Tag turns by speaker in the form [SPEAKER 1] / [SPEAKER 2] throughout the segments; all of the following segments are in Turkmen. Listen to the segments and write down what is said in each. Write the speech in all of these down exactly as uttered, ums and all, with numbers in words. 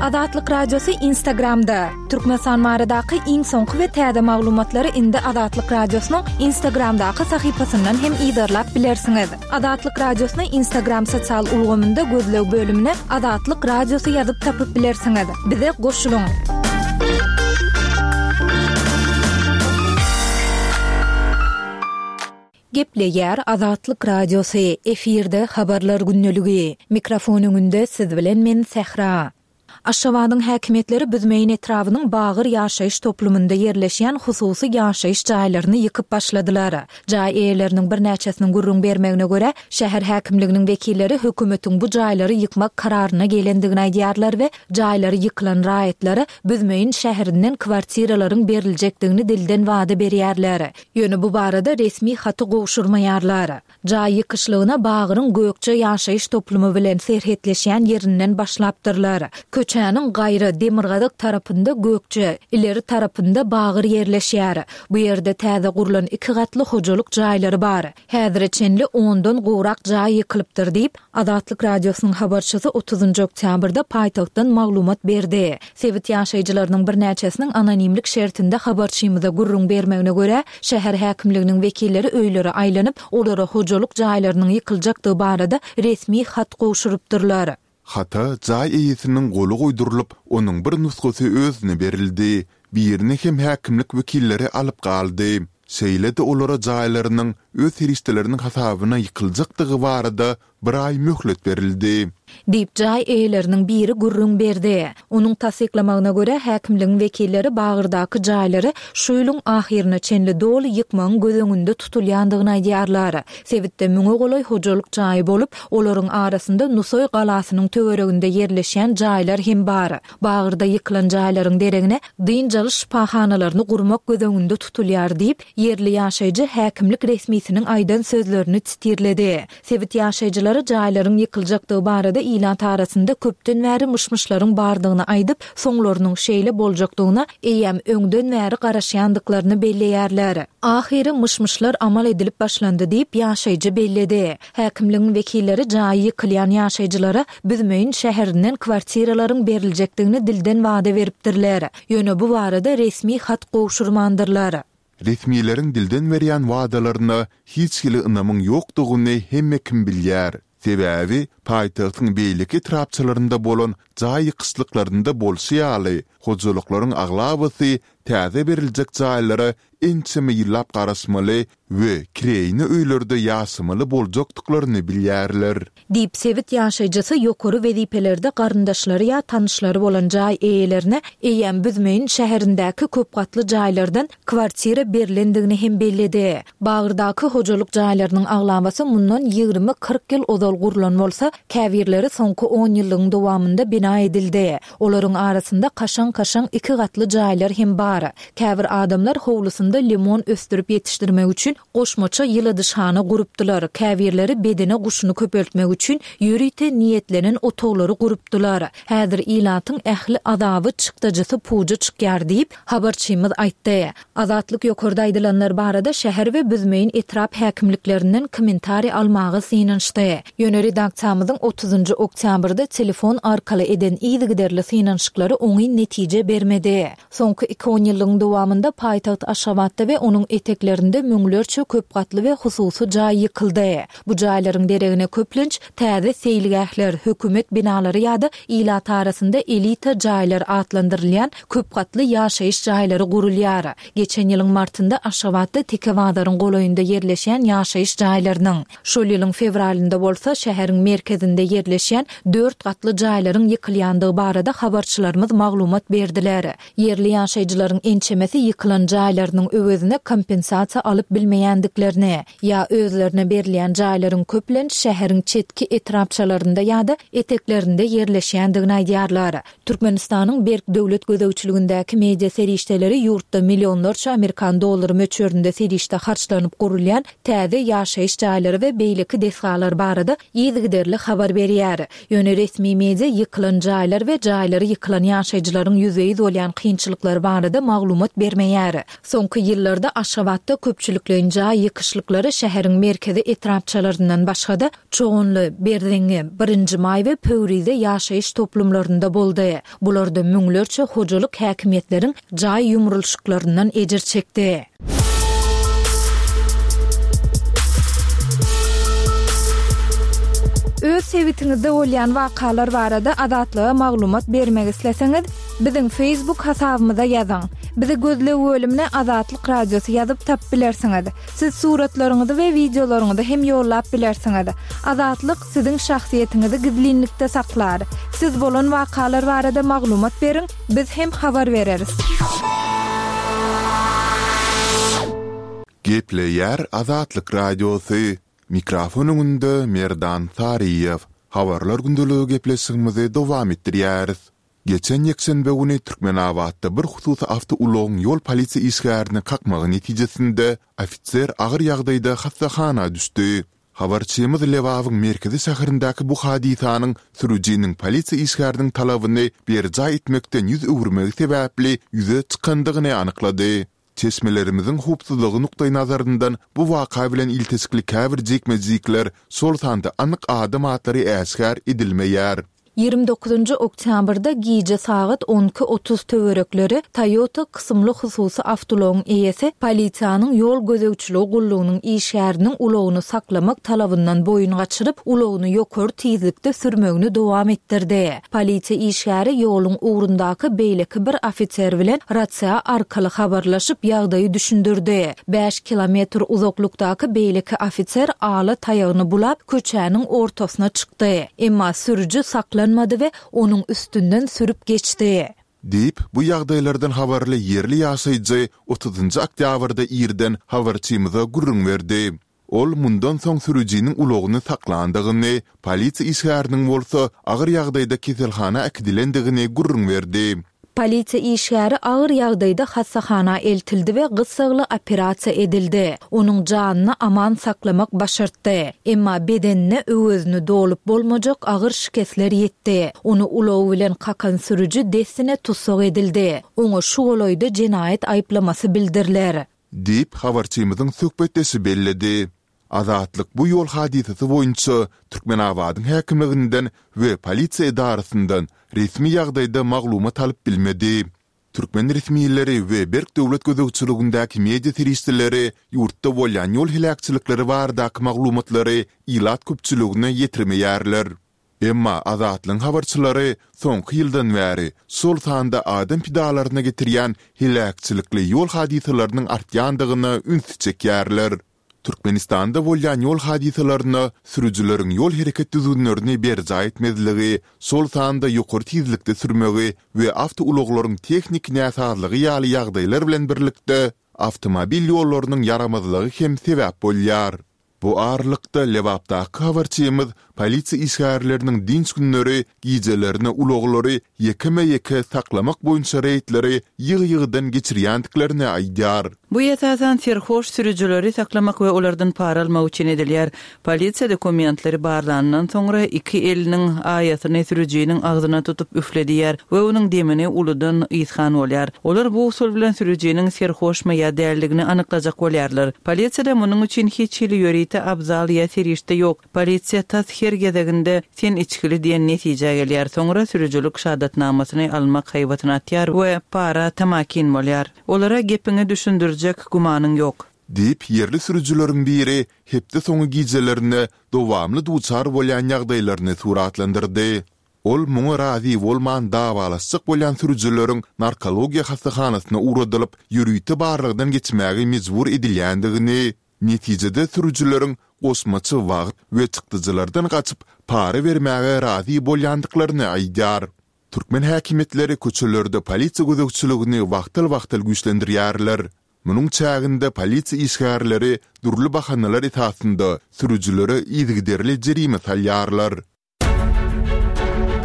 [SPEAKER 1] Azatlyk Radiosy Instagramda. Türkmenistan baradaky iň soňky we täze maglumatlary indi Azatlyk Radiosynyň Instagramdaky sahypasyndan hem yzarlap bilersiňiz. Azatlyk Radiosyny Instagram sosial ulgamynda gözleg bölümine Azatlyk Radiosy ýazyp tapyp bilersiňiz. Bize goşulyň. Gepleýär Azatlyk Radiosy, efirde Habarlar gündeligi. Mikrofon öňünde siz bilen men Sähra. Aşgabadyň häkimiýetleri Büzmeýin etrabynyň Bagyr ýaşaýyş toplumynda ýerleşýän hususy ýaşaýyş jaýlaryny ýykyp başladylar. Jaý eýeleriniň birnäçesiniň gürrüň bermegine görä, şäher häkimliginiň wekilleri hökümetiň bu jaýlary ýykmak kararyna gelendigini aýdýarlar we jaýlary ýykylan raýatlara Büzmeýin şäherinden kwartiralaryň beriljekdigini dilden wada berýärler. Ýöne bu barada resmi haty gowşurmaýarlar. Jaý ýykyşlygyna Bagyryň Gökje ýaşaýyş toplumy bilen serhetleşýän ýerinden başlapdyrlar. Köçäniň gaýra, demirgazyk tarapynda Gökje, ileri tarapynda Bagyr ýerleşýär. Bu ýerde täze gurlan iki gatly hojalyk jaýlary bar. Häzire çenli ondan gowrak jaý ýykylypdyr diýip, Azatlyk Radiosynyň habarçysy otuzynjy oktýabrda paýtagtdan maglumat berdi. Sebit ýaşaýjylarynyň birnäçesiniň anonimlik şertinde habarçymyza gürrüň bermegine görä, şäher häkimliginiň wekilleri öýlere aýlanyp, olara hojalyk jaýlarynyň ýykyljakdygy barada resmi hat gowşurypdyrlar.
[SPEAKER 2] Hata jaý eýesiniň goly goýdurylyp, onuň bir nusgasy özüne berildi, birini hem häkimlik wekilleri alyp galdy. Şeýle-de olara jaýlarynyň öz serişdeleriniň hasabyna ýykyljakdygy barada bir aý möhlet berildi.
[SPEAKER 1] Diýip, jaý eýeleriniň biri gürrüň berdi. Onuň tassyklamagyna görä, häkimligiň wekilleri Bagyrdaky jaýlary şu ýylyň ahyryna çenli doly ýykmagyň göz öňünde tutulýandygyny aýdýarlar. Sebitde müňe golaý hojalyk jaýy bolup, olaryň arasynda Nusaý galasynyň töwereginde ýerleşýän jaýlar hem bar. Bagyrda ýykylan jaýlaryň deregine dynç alyş şypahanalaryny gurmak göz öňünde tutulýar diýip, ýerli ýaşaýjy häkimlik resmisiniň aýdan sözlerini titirledi. Sebit ýaşaýjylary jaýlaryň ýykyljakdygy barada ilat arasynda köpden bäri myş-myşlaryň bardygyny aýdyp, soňlarynyň şeýle boljakdygyna eýýäm öňden bäri garaşýandyklaryny belleýärler. Ahyry myş-myşlar amal edilip başlandy diýip, ýaşaýjy belledi. Häkimligiň wekilleri jaýy ýykylýan ýaşaýjylara Büzmeýin şäherinden kwartiralaryň beriljekdigini dilden wada beripdirler. Ýöne bu barada resmi hat gowşurmandyrlar.
[SPEAKER 2] Resmileriň dilden berýän wadalaryna hiç hili ynamyň ýokdugyny hemme kim bilýär. Sebäbi paýtagtyň beýleki etrapçalarynda bolan jaý ýykyşlyklarynda bolşy ýaly, hojalyklaryň aglabasy täze beriljek jaýlara ençeme ýyllap garaşmaly we kireýine öýlerde ýaşamaly boljakdyklaryny bilýärler.
[SPEAKER 1] Diýip, sebit ýaşaýjysy ýokary wezipelerde garyndaşlary ýa tanyşlary bolan jaý eýelerine eýýäm Büzmeýin şäherindäki köpgatly jaýlardan kwartira berlendigini hem belledi. Bagyrdaky hojalyk jaýlarynyň aglabasy mundan ýigrimi-kyrk ýyl ozal gurlan bolsa, käbirleri soňky on ýyllygyň dowamynda bina edildi. Olaryň arasynda kaşaň-kaşaň iki gatly jaýlar hem bar. Käbir adamlar howlusynda limon ösdürip ýetişdirmek üçin goşmaça ýyladyşhana gurupdylar, käbirleri bedene guşuny köpeltmek üçin ýörite niýetlenen otaglary gurupdylar. Häzir ilatyň ähli azaby, çykdajysy puja çykýar diýip, habarçymyz aýtdy. Azatlyk ýokarda aýdylanlar barada şäher we Büzmeýin etrap häkimliklerinden kommentariý almaga synanyşdy. Ýöne redaksiýamyzyň otuzynjy oktýabrda telefon arkaly eden yzygiderli synanyşyklary oňyn netije bermedi. Soňky iki onýyllygyň dowamynda paýtagt Aşgabatda we onuň eteklerinde müňlerçe köp gatly we hususy jaý ýykyldy. Bu jaýlaryň deregine köplenç täze seýilgähler, hökümet binalary ýa-da ilat arasynda elita jaýlar atlandyrylýan köp gatly ýaşaýyş jaýlary gurulýar. Geçen ýylyň martynda Aşgabatda Teke bazaryň golaýynda ýerleşýän ýaşaýyş jaýlarynyň, şol ýylyň fewralynda bolsa şäheriň merkezinde ýerleşýän dört gatly jaýlaryň ýykylýandygy barada habarçylarymyz maglumat berdiler. Ýerli ýaşaýjylaryň ençemesi ýykylan jaýlarynyň öwezine kompensasiýa alyp bilmeýändiklerini, ýa özlerine berilýän jaýlaryň köplenç şäheriň çetki etrapçalarynda ýa-da eteklerinde ýerleşýändigini aýdýarlar. Türkmenistanyň berk döwlet gözegçiligindäki media serişdeleri ýurtda millionlarça amerikan dollary möçberinde serişde harçlanyp gurulýan täze ýaşaýyş jaýlary we beýleki desgalar barada yzygiderli habar berýär. Ýöne resmi media ýykylan jaýlar we jaýlary ýykylan ýaşaýjylaryň ýüzbe-ýüz bolýan kynçylyklary barada maglumat bermeýär. Soňky ýyllarda Aşgabatda köpçülikleýin jaý ýykyşlyklary şäheriň merkezi etrapçalaryndan başga-da, Çoganly, Berzeňňi, Birinji Maý we Pöwrize ýaşaýyş toplumlarynda boldy. Bularda müňlerçe hojalyk häkimiýetleriň jaý ýumrulyşyklaryndan ejir çekdi.
[SPEAKER 3] Öz sebitiňizde bolýan wakalar barada Azatlyga maglumat bermek isleseňiz, biziň Facebook hasabymyza ýazyň. Bizi gözleg bölümine Azatlyk Radiosy ýazyp tapyp bilersiňiz. Siz suratlaryňyzy we wideolaryňyzy hem ýollap bilersiňiz. Azatlyk siziň şahsyýetiňizi gizlinlikde saklar. Siz bolan wakalar barada maglumat beriň, biz hem habar bereris.
[SPEAKER 2] Gepleýär Azatlyk Radiosy, Mikrofon öňünde Merdan Saryýew. Habarlar gündeligi gepleşigimizi dowam etdirýäris. Geçen ýekşenbe güni Türkmenabatda bir hususy awtoulagyň ýol polisiýa işgärini kakmagy netijesinde ofiser agyr ýagdaýda hassahana düşdi. Habarçymyz Lebabyň merkezi şäherindäki bu hadysanyň sürüjiniň polisiýa işgäriniň talabyny berjaý etmekden ýüz öwürmegi sebäpli ýüze çykandygyny anyklady. Çeşmelerimiziň howpsuzlygy nukdaýnazaryndan bu waka bilen ilteşikli käbir jikme-jikler, şol sanda anyk adam atlary äşgär edilmeýär.
[SPEAKER 1] Ýigrimi dokuzynjy oktýabrda gije sagat on iki otuz töwerekleri Toyota kysymly hususy awtoulagyň eýesi polisiýanyň ýol gözegçiligi gullugynyň işgäriniň ulagyny saklamak talabyndan boýun gaçyryp, ulagyny ýokary tizlikde sürmegini dowam etdirdi. Polisiýa işgäri ýoluň ugrundaky beýleki bir ofiser bilen rasiýa arkaly habarlaşyp, ýagdaýy düşündirdi. Bäş kilometr uzaklykdaky beýleki ofiser ala taýagyny bulap, köçäniň ortasyna çykdy. Emma sürüji saklanmady we onuň üstünden sürüp geçdi.
[SPEAKER 2] Diýip, bu ýagdaýlardan habarly ýerli ýaşaýjy otuzynjy oktýabrda irden habarçymyza gürrüň berdi. Ol mundan soň sürüjiniň ulagyny saklandygyny, polisiýa işgäriniň bolsa agyr ýagdaýda keselhana äkidilendigini gürrüň berdi.
[SPEAKER 1] Polisiýa işgäri agyr ýagdaýda hassahana eltildi we gyssagly operasiýa edildi. Onuň janyny aman saklamak başartdy. Emma bedenine öwezini dolup bolmajak agyr şikesler ýetdi. Ony ulagy bilen kakan sürüji dessine tussag edildi. Oňa şu golaýda jenaýat aýyplamasy bildiriler.
[SPEAKER 2] Diýip, habarçymyzyň söhbetdeşi belledi. Azatlyk bu ýol hadysasy boýunça Türkmenabadyň häkimliginden we polisiýa edarasyndan resmi ýagdaýda maglumat alyp bilmedi. Türkmen resmileri we berk döwlet gözegçiligindäki media serişdeleri ýurtda bolýan ýol heläkçilikleri baradaky maglumatlary ilat köpçüligine ýetirmeýärler. Emma Azatlygyň habarçylary soňky ýyldan bäri, şol sanda adam pidalaryna getirýän heläkçilikli ýol hadysalarynyň artýandygyna ünsi çekýärler. Türkmenistanda bolýan ýol hadysalaryna sürüjileriň ýol hereket düzgünlerini berjaý etmezligi, şol sanda ýokary tizlikde sürmegi we awtoulaglaryň tehniki näsazlygy ýaly ýagdaýlar bilen birlikde, awtomobil ýollarynyň ýaramazlygy hem sebäp bolýar. Bu aralykda, Lebapdaky habarçymyz polisiýa işgärleriniň dynç günleri gijelerine ulaglary ýekeme-ýeke saklamak boýunça reýdleri ýygy-ýygydan geçirýändiklerini aýdýar.
[SPEAKER 4] Bu esasan serhoş sürüjileri saklamak we olardan para almak üçin edilýär. Polisiýa dokumentleri barlandan soňra iki eliniň aýasyny sürüjiniň agzyna tutup üfledýär we onuň demini uludan ysgan bolýar. Olar bu usul bilen sürüjiniň serhoşmy ýa däldigini anyklajak bolýarlar. Polisiýada munuň üçin hiç hili ýörite abzal ýa serişde ýok. Polisiýa tas her gezeginde sen içgili diýen netijä gelýär. Soňra sürüjilik şahadatnamasyny almak haýbatyny atýar we para tamakin bolýar. Olara gepiňi düşündirjek gümanyň ýok.
[SPEAKER 2] Diýip, ýerli sürüjileriň biri hepde soňy gijelerine dowamly duçar bolýan ýagdaýlaryny suratlandyrdy. Ol muňa razy bolman dawalaşjak bolýan sürüjileriň narkologiýa hassahanasyna ugradylyp, ýörite barlagdan geçmäge mejbur edilýändigini, netijede sürüjileriň goşmaça wagt we çykdajylardan gaçyp, para bermäge razy bolýandyklaryny aýdýar. Türkmen häkimiýetleri köçelerde polisiýa gözegçiligini wagtal-wagtal güýçlendirýärler. Munuň çäginde polisiýa işgärleri dürli bahanalar esasynda sürüjilere yzygiderli jerime salýarlar.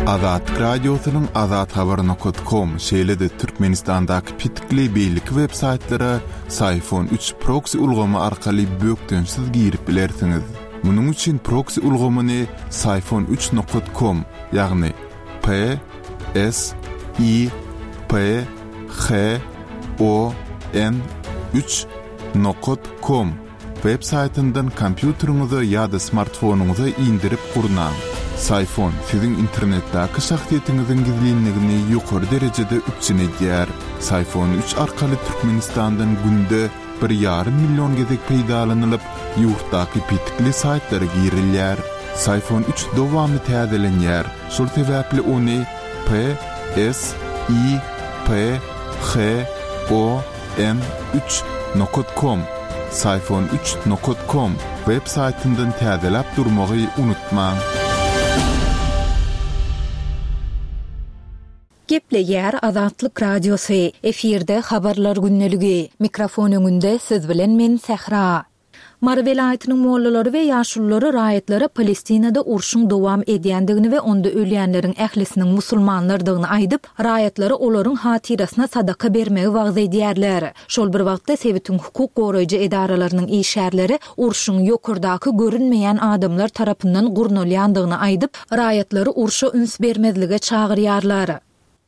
[SPEAKER 2] Azatlyk Radiosynyň azathabar nokat kom, şeýle-de Türkmenistandaky petikli beýleki websaýtlara Syfon üç proksi ulgamy arkaly bökdençsiz girip bilersiňiz. Munuň üçin proksi ulgamyny Syfon üç nokat kom, ýagny P S I P H O N üç nokat kom web saýtyndan kompýuteriňize ýa-da smartfonyňyza indirip gurnaň. Syfon siziň internetdäki şahsyýetiňiziň gizlinligini ýokary derejede üpjün edýär. Syfon üç arkaly Türkmenistandan günde bir ýarym million gezek peýdalanylyp, ýurtdaky petikli saýtlara girilýär. Syfon üç dowamly täzelenýär. Şol sebäpli ony P S I P H O N üç nokat kom, Syfon üç nokat kom web saýtyndan täzeläp durmagy unutmaň.
[SPEAKER 1] Gepleýär Azatlyk Radiosy. Efirde habarlar gündeligi. Mikrofon öňünde siz bilen men Sähra. Mary welaýatynyň mollalary we ýaşululary raýatlara Palestinada urşuň dowam edýändigini we onda ölýänleriň ählisiniň musulmanlardygyny aýdyp, raýatlara olaryň hatyrasyna sadaka bermegi wagyz edýärler. Şol bir wagtda sebitiň hukuk goraýjy edaralarynyň işgärleri urşuň ýokardaky görünmeýän adamlar tarapyndan gurnalýandygyny aýdyp, raýatlary urşa üns bermezlige çagyrýarlar.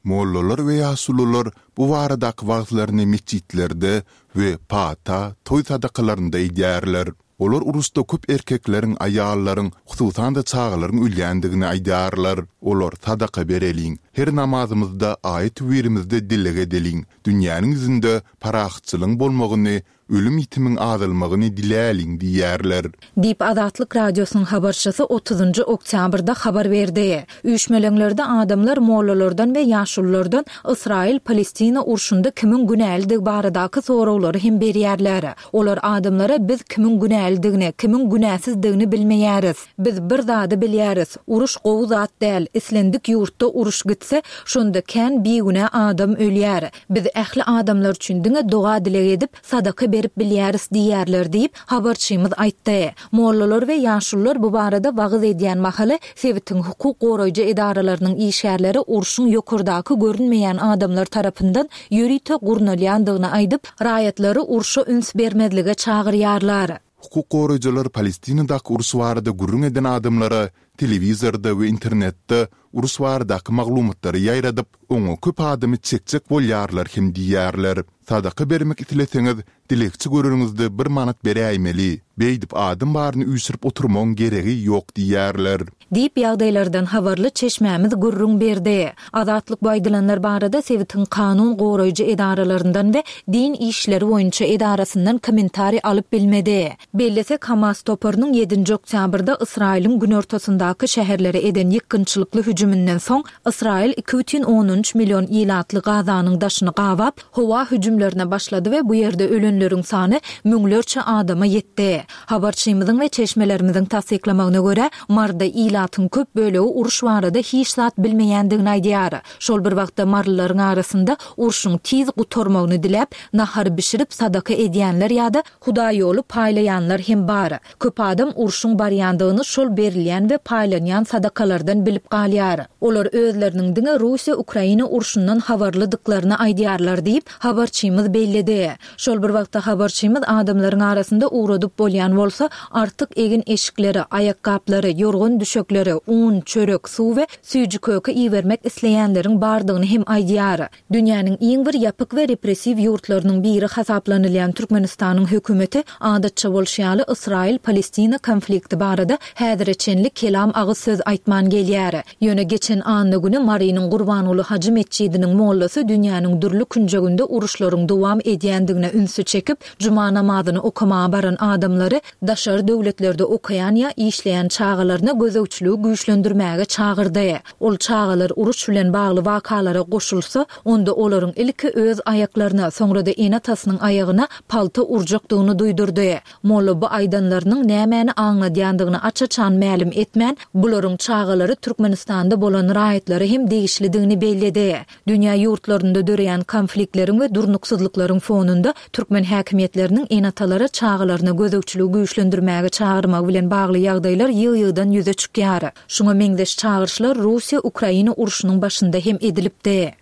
[SPEAKER 2] Mollalar we ýaşulular bu baradaky wagyzlaryny metjitlerde we pata, toý sadakalarynda edýärler. Olar uruşda köp erkekleriň, aýallaryň, hususan-da çagalaryň ölýändigini aýdýarlar. Olar sadaka bereliň, her namazymyzda, aýat-töwirimizde dileg edeliň, dünýäniň ýüzünde parahatçylygyň bolmagyny, ölüm ýitimiň azalmagyny diläliň diýýärler.
[SPEAKER 1] Diýip Azatlyk Radiosynyň habarçysy otuzynjy oktýabrda habar berdi. Üýşmeleňlerde adamlar mollalardan we ýaşululardan Ysraýyl-Palestina urşunda kimiň günälidigi baradaky soraglary hem berýärler. Olar adamlara biz kimiň günälidigini, kimiň günäsizdigini bilmeýäris. Biz bir zady bilýäris. Uruş gowy zat däl. Islendik ýurtda uruş gitse, şonda kän bigünä adam ölýär. Biz ähli adamlar üçin diňe doga dileg edip, sadaka berip bilýäris diýýärler diýip, habarçymyz aýtdy. Mollalar we ýaşulular bu barada wagyz edýän mahaly sebitiň hukuk goraýjy edaralarynyň işgärleri urşuň ýokardaky görünmeýän adamlar tarapyndan ýörite gurnalýandygyny aýdyp, raýatlary urşa üns bermezlige çagyrýarlar.
[SPEAKER 2] Hukuk goraýjylar Palestinadaky uruş barada gürrüň eden adamlara telewizorda we internetde uruş baradaky maglumatlary ýaýradyp, oňa köp adamy çekjek bolýarlar hem diýýärler. Sadaka bermek isleseňiz, dilegçi göreniňizde bir manat beräýmeli. Beýdip adam baryny üýşürip oturmagyň geregi ýok diýýärler.
[SPEAKER 1] Diýip ýagdaýlardan habarly çeşmämiz gürrüň berdi. Azatlyk bu aýdylanlar barada sebitiň kanun goraýjy edaralaryndan we din işleri boýunça edarasyndan kommentariý alyp bilmedi. Bellesek, Hamas toparynyň ýedinji oktýabrda Ysraýylyň günortasyndaky şäherlere eden ýykgynçylykly hüjüminden soň Ysraýyl iki bütin ondan üç million ilatly Gazanyň daşyny gabap, howa hüjümlerine başlady we bu ýerde ölenleriň sany müňlerçe adama ýetdi. Habarçymyzyň we çeşmelerimiziň tassyklamagyna görä, Marda ilatyň köp bölegi uruş barada hiç zat bilmeýändigini aýdýar. Şol bir wagtda marlylaryň arasynda urşuň tiz gutarmagyny diläp, nahar bişirip sadaka edýänler ýa-da hudaýoly paýlaýanlar hem bar. Köp adam urşuň barýandygyny şol berilýän we paýlanýan sadakalardan bilip galýar. Olar özleriniň diňe Russiýa-Ukraina urşundan habarlydyklaryny aýdýarlar diýip, habarçymyz belledi. Şol bir wagtda habarçymyz adamlaryň arasynda ugradyp bolýan bolsa, artyk egin eşikleri, aýakgaplary, ýorgan düşekleri, un, çörek, suw we süýji köke ibermek isleýänleriň bardygyny hem aýdýar. Dünýäniň iň bir ýapyk we repressiw ýurtlarynyň biri hasaplanylýan Türkmenistanyň hökümeti adatça bolşy ýaly Ysraýyl-Palestina konflikti barada häzire çenli kelam agyz söz aýtman gelýär. Ýöne geçen anna güni Marynyň Gurbanguly Hajy metjidiniň mollasy dünýäniň dürli künjeginde uruşlaryň dowam edýändigine ünsi çekip, juma namazyny okamaga baran adamlary daşary döwletlerde okaýan ýa işleýän çagalaryna gözegçiligi güýçlendirmäge çagyrdy. Ol çagalar uruş bilen bagly wakalara goşulsa, onda olaryň ilki öz aýaklaryna, soňra-da ene-atasynyň aýagyna palta urjakdygyny duýdurdy. Molla bu aýdanlarynyň nämäni aňladýandygyny aç-açan mälim etmän, bularyň çagalary Türkmenistanda bolan raýatlara hem degişlidigini belledi. Dünýä ýurtlarynda döreýän konfliktleriň we durnuksyzlyklaryň fonunda türkmen häkimiýetleriniň ene-atalara çagalaryna gözegçiligi güýçlendirmäge çagyrmagy bilen bagly ýagdaýlar ýygy-ýygydan ýüze çykýar. Şuňa meňzeş çagyryşlar Russiýa-Ukraina urşunyň başynda hem edilipdi.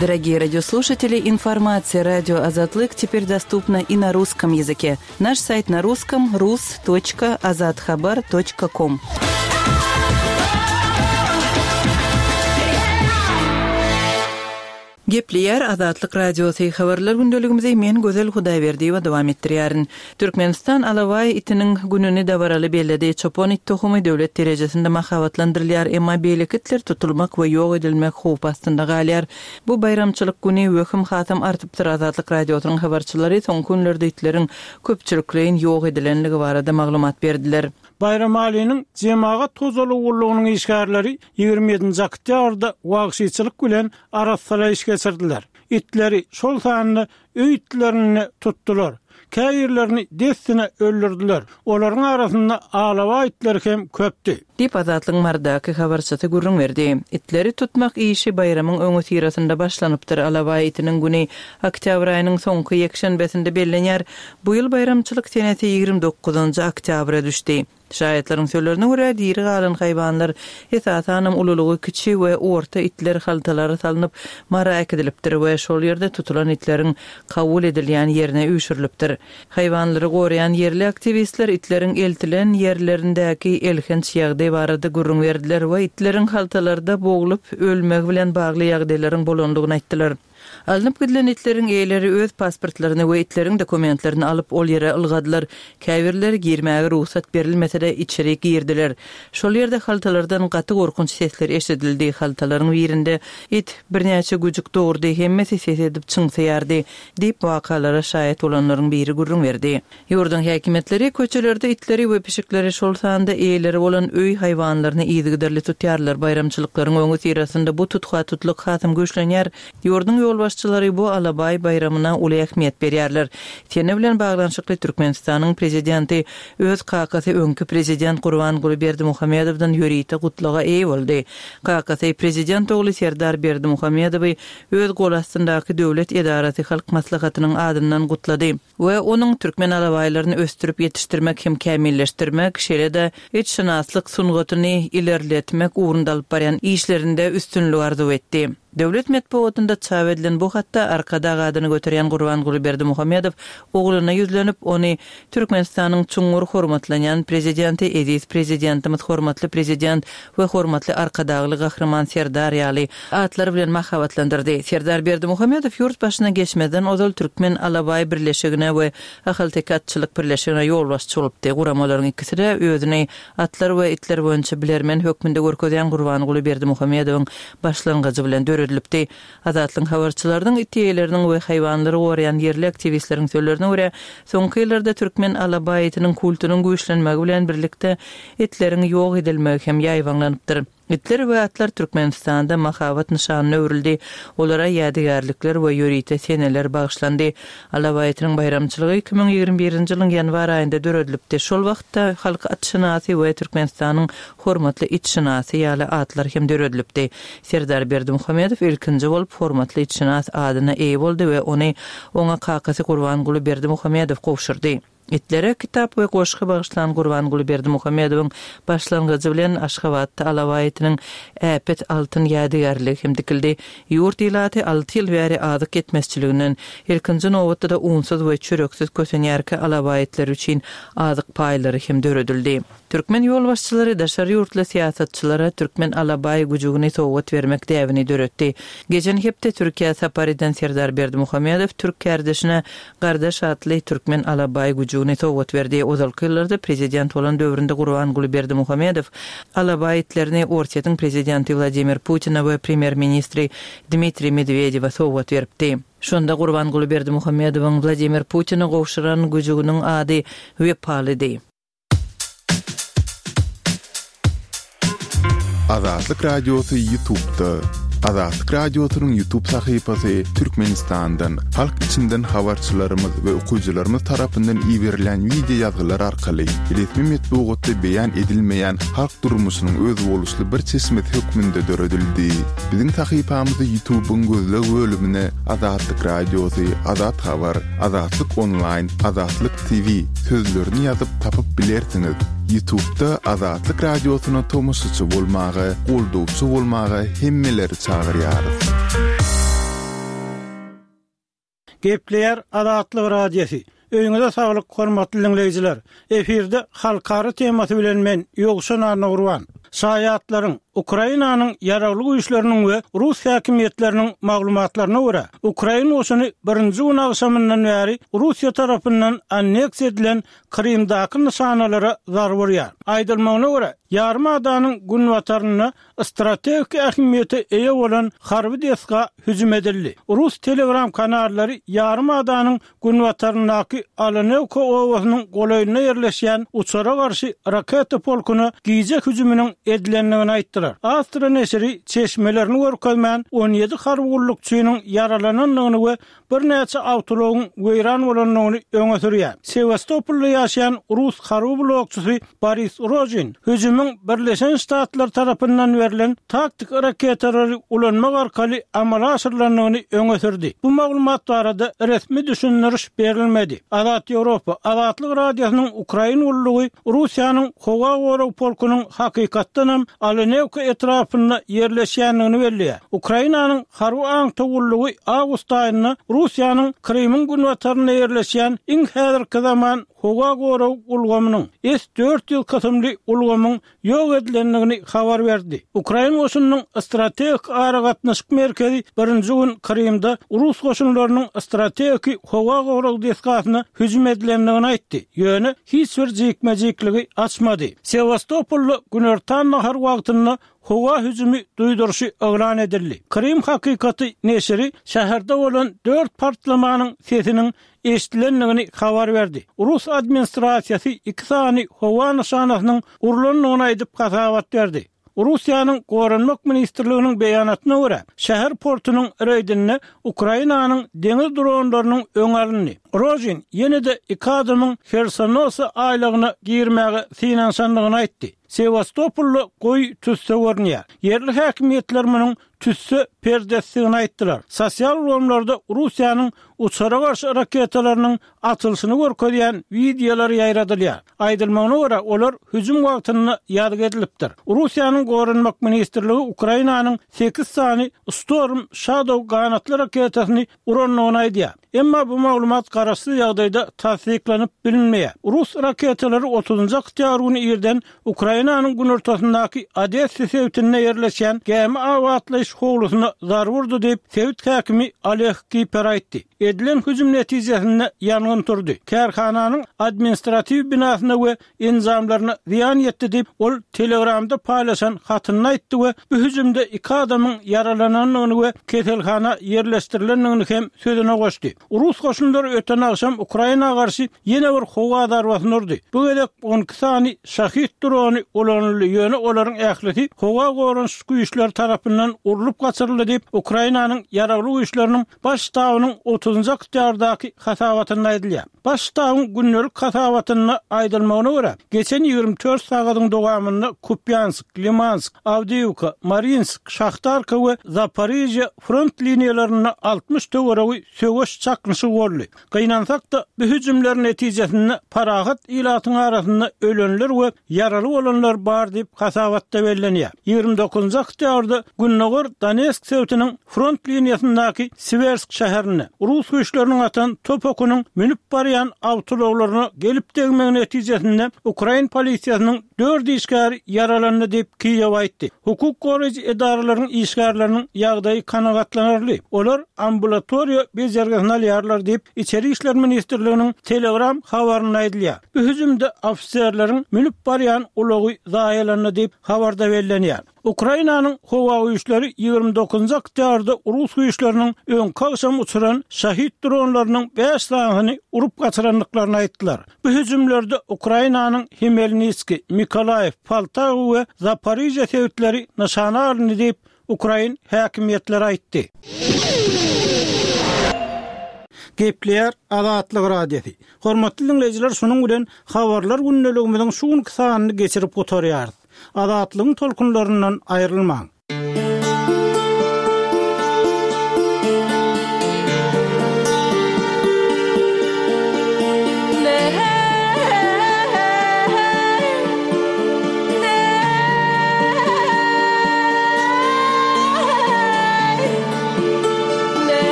[SPEAKER 4] Дорогие радиослушатели, информация радио Азатлык теперь доступна и на русском языке. Наш сайт на русском рус точка азатхабар точка ком. Gepleýär Azatlyk Radiosy habarlar gündeligimizi men Gözel Hudaýberdiýewa dowam etdirýärin. Türkmenistan alabaý itiniň gününi dabaraly belledi. Çopan it tohumy döwlet derejesinde mahabatlandyrylýar, emma beýleki itler tutulmak we ýok edilmek howpy astynda galýar. Bu baýramçylyk güni wehim hasam artypdyr. Azatlyk Radiosynyň habarçylary soňky günlerde itleriň köpçülikleýin ýok edilenligi barada maglumat berdiler.
[SPEAKER 5] Baýramalynyň jemagat hojalygy gullugynyň işgärleri ýigrimi ýedinji oktýabrda wagşyçylyk bilen arassalaýyş geçirdiler. Itleri, şol sanda öý itlerini tutdular. Käbirlerini dessine öldürdiler. Olaryň arasynda alabaý itleri hem köpdi.
[SPEAKER 4] Diýip, Azatlygyň Marydaky habarçysy gürrüň berdi. Itleri tutmak işi baýramyň öňüsyrasynda başlanypdyr. Alabaý itiniň güni oktýabr aýynyň soňky ýekşenbesinde bellenýär. Bu ýyl baýramçylyk senesi ýigrimi dokuzynjy oktýabra düşdi. Şaýatlaryň sözlerine görä, diri galan haýwanlar, esasanam ululygy kiçi we orta itler haltalara salnyp, Mara äkidilipdir we şol ýerde tutulan itleriň kabul edilýän ýerine üýşürilipdir. Haýwanlary goraýan ýerli aktiwistler itleriň eltilen ýerlerindäki elhenç ýagdaý barada gürrüň berdiler we itleriň haltalarda boglup ölmegi bilen bagly ýagdaýlaryň bolandygyny aýtdylar. Alnyp gidilen itleriň eýeleri öz pasportlaryny we itleriň dokumentlerini alyp, ol ýere ylgadylar. Käbirleri girmäge rugsat berilmese-de, içeri girdiler. Şol ýerde haltalardan gaty gorkunç sesler eşidildi. Haltalaryň birinde it birnäçe güjük dogurdy, hemmesi ses edip çyňsaýardy, diýip, wakalara şaýat bolanlaryň biri gürrüň berdi. Ýurduň häkimiýetleri köçelerde itleri we pişikleri, şol sanda eýeleri bolan öý haýwanlaryny yzygiderli tutýarlar. Baýramçylyklaryň öňüsyrasynda bu tutha-tutlyk hasam güýçlenýär. Ýurduň ýolbaşçylary bu alabaý baýramyna uly ähmiýet berýärler. Sene bilen baglanyşykly Türkmenistanyň Prezidenti öz kakasy öňki Prezident Gurbanguly Berdimuhamedowdan ýörite gutlaga eýe boldy. Kakasy Prezident ogly Serdar Berdimuhamedowy öz gol astyndaky döwlet edarasy Halk Maslahatynyň adyndan gutlady we onuň türkmen alabaýlaryny ösdürip ýetişdirmek hem kämilleşdirmek, şeýle-de itşynaslyk sungatyny ilerletmek ugrunda alyp barýan işlerinde üstünlik arzuw etdi. Döwlet metbugatynda çap edilen bu hatda Arkadag adyny göterýän Gurbanguly Berdimuhamedow ogluna ýüzlenip, ony Türkmenistanyň çuňňur hormatlanýan Prezidenti, eziz Prezidentimiz, hormatly Prezident we hormatly Arkadagly Gahryman Serdar ýaly atlar bilen mahabatlandyrdy. Serdar Berdimuhamedow ýurt başyna geçmezden ozal Türkmen alabaý birleşigine we Ahalteke atçylyk birleşigine ýolbaşçy bolupdy. Guramalaryň ikisi-de özüni atlar we itler boýunça bilermen hökmünde görkezýän Gurbanguly Berdimuhamedowyň başlangyjy bilen döredilipdi. Azatlygyň habarçylarynyň, it eýeleriniň we haýwanlary goraýan ýerli aktiwistleriň sözlerine görä, soňky ýyllarda türkmen alabaý itiniň kultunyň güýçlenmegi bilen birlikde itleriň ýok edilmegi hem ýaýbaňlanypdyr. Itler we atlar Türkmenistanda mahabat nyşanyna öwrüldi, olara ýadygärlikler we ýörite seneler bagyşlandy. Alabaý itiniň baýramçylygy iki müň ýigrimi birinji ýylyň ýanwar aýynda döredilipdi. Şol wagtda Halk atşynasy we Türkmenistanyň hormatly itşynasy ýaly atlar hem döredilipdi. Serdar Berdimuhamedow ilkinji bolup hormatly itşynas adyna eýe boldy we ony oňa kakasy Gurbanguly Berdimuhamedow gowşurdy. Itlere kitap we goşgy bagyşlan Gurbanguly Berdimuhamedowyň başlangyjy bilen Aşgabatda alabaý itiniň äpet altyn ýadygärligi hem dikildi. Ýurt ilaty alty ýyl bäri azyk ýetmezçiliginden, ilkinji nobatda-da unsuz we çöreksiz kösenýärkä alabaý itleri üçin azyk paýlary hem döredildi. Türkmen ýolbaşçylary daşary ýurtly syýasatçylara türkmen alabaý güjügini sowgat bermek däbini döretdi. Geçen hepde Türkiýä sapar eden Serdar Berdimuhamedow türk kärdeşine Gardaş atly türkmen alabaý güjügini sowgat berdi. Ozalky ýyllarda prezident bolan döwründe Gurbanguly Berdimuhamedow alabaý itlerini Orsýetiň prezidenti Wladimir Putine we premýer-ministri Dmitriý Medwedewe sowgat beripdi. Şonda Gurbanguly Berdimuhamedowyň Wladimir Putine gowşuran güjüginiň ady Wepalydy.
[SPEAKER 2] Azatlyk Radiosy Ýutubda. Azatlyk Radiosynyň Ýutub sahypasy Türkmenistandan, halk içinden habarçylarymyz we okyjylarymyz tarapyndan iberilen wideo ýazgylar arkaly resmi metbugatda beýan edilmeýän halk durmuşynyň özboluşly bir çeşmesi hökmünde döredildi. Biziň sahypamyzy Ýutubyň gözleg bölümine Azatlyk Radiosy, Azat Habar, Azatlyk Onlaýn, Azatlyk TV sözlerini ýazyp tapyp bilersiňiz. Ýutubda Azatlyk Radiosyna tomaşaçy bolmaga, goldawçy bolmaga hemmeleri çagyrýarys.
[SPEAKER 5] Gepleýär Azatlyk Radiosy. Öýüňize saglyk hormatly diňleýjiler. Efirde halkara temasy bilen men Ýowşan Annagurban. Şaýatlaryň, Ukrainanyň Ýaragly Güýçleriniň we rus häkimiýetleriniň maglumatlaryna görä, ukrain goşuny birinji gün agşamyndan bäri Russiýa tarapyndan anneksiýa edilen Krymdaky nyşanalara zarba urýar. Aýdylmagyna görä, ýarym adanyň günbatarynda strategik ähmiýete eýe bolan harby desga hüjüm edildi. Rus Telegram kanallary ýarym adanyň günbataryndaky Alenewka obasynyň golaýynda ýerleşýän uçara garşy raketa polkuna gije hüjüminiň edilendigini aýtdylar. Astra neşiri çeşmelerini görkezmän, on ýedi harby gullukçynyň ýaralanandygyny we birnäçe awtoulagyň weýran bolandygyny öňe sürýär. Sewastopolda ýaşaýan rus harby blogçysy Boris Rojin hüjümiň Birleşen Ştatlar tarapyndan berlen taktiki raketalary ulanmak arkaly amala aşyrylandygyny öňe sürdi. Bu maglumat barada resmi düşündiriş berilmedi. Azat Ýewropa, Azatlyk Radiosynyň Ukrain gullugy Russiýanyň howa gorag polkunyň hakykatdanam Alenewka etrapynda ýerleşýändigini belleýär. Ukrainanyň harby aňtaw gullugy awgust aýynda Russiýanyň Krymyň günbatarynda ýerleşýän iň häzirki zaman howa gorag ulgamynyň, S dört ýüz kysymly ulgamyň ýok edilendigini habar berdi. Ukrain goşunynyň strategik aragatnaşyk merkezi birinji gün Krymda rus goşunlarynyň strategik howa gorag desgasyna hüjüm edilendigini aýtdy, ýöne hiç bir jikme-jikligi açmady. Sewastopolda günortan nahar wagtynda howa hüjümi duýduryşy yglan edildi. Krym hakykaty neşiri şäherde bolan dört partlamanyň sesiniň eşidilendigini habar berdi. Rus administrasiýasy iki sany howa nyşanasynyň urlandygyny aýdyp hasabat berdi. Russiýanyň Goranmak ministrliginiň beýanatyna görä, şäher portunyň reýdinde Ukrainanyň deňiz dronlarynyň öňi alyndy. Rojin ýene-de iki adamyň Hersonosa aýlagyna girmäge synanyşandygyny aýtdy. Sewastopolda goýy tüsse görünýär. Ýerli häkimiýetler munuň tüsse perdesidigini aýtdylar. Sosial ulgamlarda Russiýanyň uçara garşy raketalarynyň atylyşyny görkezýän wideolar ýaýradylýar. Aýdylmagyna görä, olar hüjüm wagtynda ýazgy edilipdir. Russiýanyň Goranmak ministrligi Ukrainanyň sekiz sany Storm Shadow ganatly raketasyny urandygyny aýdýar. Emma bu maglumat garaşsyz ýagdaýda tassyklanyp bilinmeýär. Rus raketalary otuzynjy oktýabr güni irden Ukrainanyň günortasyndaky Odessa sebitinde ýerleşýän gämi abatlaýyş howlusyna zarba urdy diýip, sebit häkimi Oleg Kiper aýtdy. Edilen hüjüm netijesinde ýangyn turdy. Kärhananyň administratiw binasyna we enjamlaryna zyýan ýetdi diýip, ol Telegramda paýlaşan hatynda aýtdy we bu hüjümde iki adamyň ýaralanandygyny we keselhana ýerleşdirilendigini hem sözüne goşdy. Rus goşunlary öten agşam Ukraina garşy ýene bir howa zarbasyny urdy. Bu gezek on iki sany Şahid drony ulanyldy, ýöne olaryň ählisi howa goranyş güýçleri tarapyndan urlup gaçyryldy diýip, Ukrainanyň Ýaragly güýçleriniň Baş ştabynyň otuzynjy oktýabrdaky hasabatynda aýdylýar. Baş ştabyň gündelik hasabatynda aýdylmagyna görä, geçen ýigrimi dört sagadyň dowamynda Kupýansk, Limansk, Awdiýewka, Marinsk, Şahtarka we Zaporižýa front liniýalarynda altmyş töweregi söweş çaknyşygy boldy. Gynansak-da, bu hüjümler netijesinde parahat ilatyň arasynda ölenler we ýaraly bolanlar bar diýip, hasabatda bellenýär. Ýigrimi dokuzynjy oktýabrda Gündogar Donetsk sebitiniň front liniýasyndaky Siwersk şäherinde rus güýçleriniň atan top okunyň münüp barýan awtoulaglaryna gelip degmegi netijesinde ukrain polisiýasynyň dört işgäri ýaralandy diýip, Kiýew aýtdy. Hukuk goraýjy edaralaryň işgärleriniň ýagdaýy kanagatlanarly, olar ambulatoriýa bejergisini alýarlar diýip, Içeri işler ministrliginiň Telegram habarynda aýdylýar. Bu hüjümde ofiserleriň münüp barýan ulagy zaýalandy diýip, habarda bellenýär. Ukrainanyň howa güýçleri ýigrimi dokuzynjy oktýabrda rus güýçleriniň öňki agşam uçuran Şahid dronlarynyň bäş sanysyny urup gaçyrandyklaryny aýtdylar. Bu hüjümlerde Ukrainanyň Hmelnitskiý, Mykolaýiw, Poltawa we Zaporižýa sebitleri nyşana alyndy diýip, ukrain häkimiýetleri aýtdy. Gepleýär Azatlyk Radiosy. Hormatly diňleýjiler, şunuň bilen Habarlar gündeligimiziň şu günki sanyny geçirip gutarýarys. Azatlygyň tolkunlaryndan aýrylmaň!